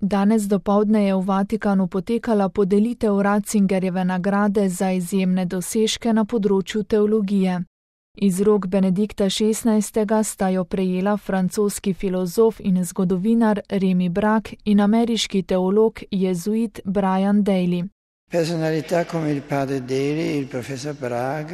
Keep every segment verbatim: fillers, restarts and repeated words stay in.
Danes dopoldne je v Vatikanu potekala podelitev Ratzingerjeve nagrade za izjemne dosežke na področju teologije. Iz rok Benedikta šestnajstega sta jo prejela francoski filozof in zgodovinar Remy Brack in ameriški teolog jezuit Brian Daly. Personalità come il padre Daly e il professor Bragg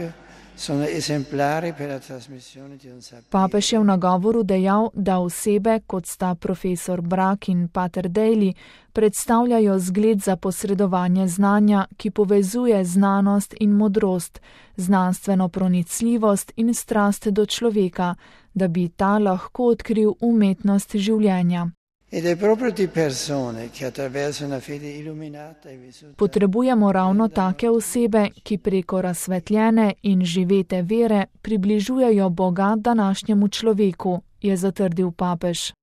sono esemplari per la trasmissione di un sapere. Papež je v nagovoru dejal, da osebe, kot sta profesor Bragg in pater Daly, predstavljajo zgled za posredovanje znanja, ki povezuje znanost in modrost, znanstveno pronicljivost in strast do človeka, da bi ta lahko odkril umetnost življenja. Ed è proprio di persone che attraverso una fede illuminata e vissuta. Potrebujemo ravno take osebe, ki preko razsvetljene in živete vere približujejo Boga današnjemu človeku, je zatrdil papež.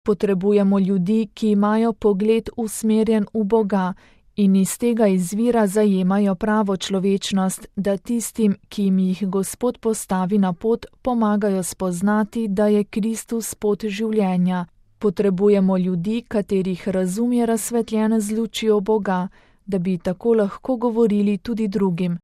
Potrebujemo ljudi, ki imajo pogled usmerjen v Boga in iz tega izvira zajemajo pravo človečnost, da tistim, ki jim jih Gospod postavi na pot, pomagajo spoznati, da je Kristus pot življenja. Potrebujemo ljudi, katerih razum je razsvetljen z lučjo Boga, da bi tako lahko govorili tudi drugim.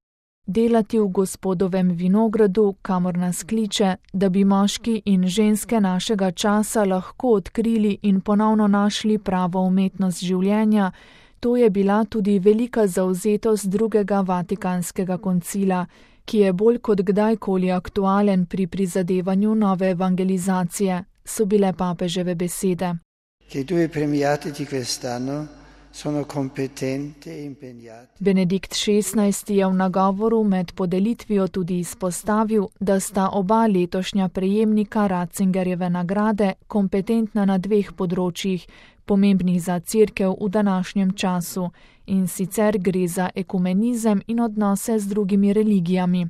Delati v Gospodovem vinogradu, kamor nas kliče, da bi moški in ženske našega časa lahko odkrili in ponovno našli pravo umetnost življenja, to je bila tudi velika zavzetost drugega Vatikanskega koncila, ki je bolj kot kdajkoli aktualen pri prizadevanju nove evangelizacije, so bile papeževe besede. Che i due premiati di quest'anno sono competenti e impegnati. Benedikt šestnajsti je v nagovoru med podelitvijo tudi izpostavil, da sta oba letošnja prejemnika Ratzingerjeve nagrade kompetentna na dveh področjih, pomembnih za Cerkev v današnjem času, in sicer gre za ekumenizem in odnose z drugimi religijami.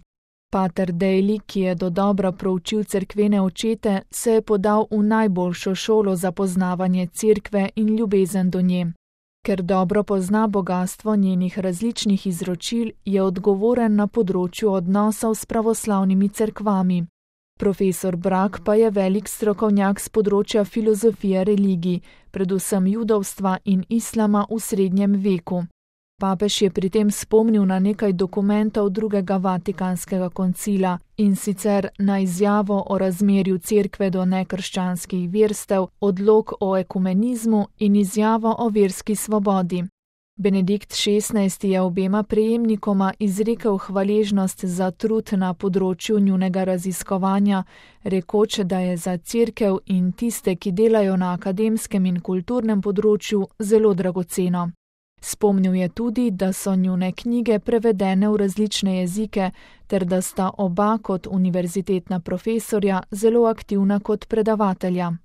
Pater Daly, ki je dodobra proučil cerkvene očete, se je podal v najboljšo šolo za poznavanje Cerkve in ljubezen do nje. Ker dobro pozna bogastvo njenih različnih izročil, je odgovoren na področju odnosov s pravoslavnimi cerkvami. Profesor Bragg pa je velik strokovnjak z področja filozofije religij, predvsem judovstva in islama v srednjem veku. Papež je pri tem spomnil na nekaj dokumentov drugega Vatikanskega koncila, in sicer na izjavo o razmerju Cerkve do nekrščanskih verstev, odlok o ekumenizmu in izjavo o verski svobodi. Benedikt šestnajsti je obema prejemnikoma izrekel hvaležnost za trud na področju njunega raziskovanja, rekoč, da je za Cerkev in tiste, ki delajo na akademskem in kulturnem področju, zelo dragoceno. Spomnil je tudi, da so njune knjige prevedene v različne jezike, ter da sta oba kot univerzitetna profesorja zelo aktivna kot predavatelja.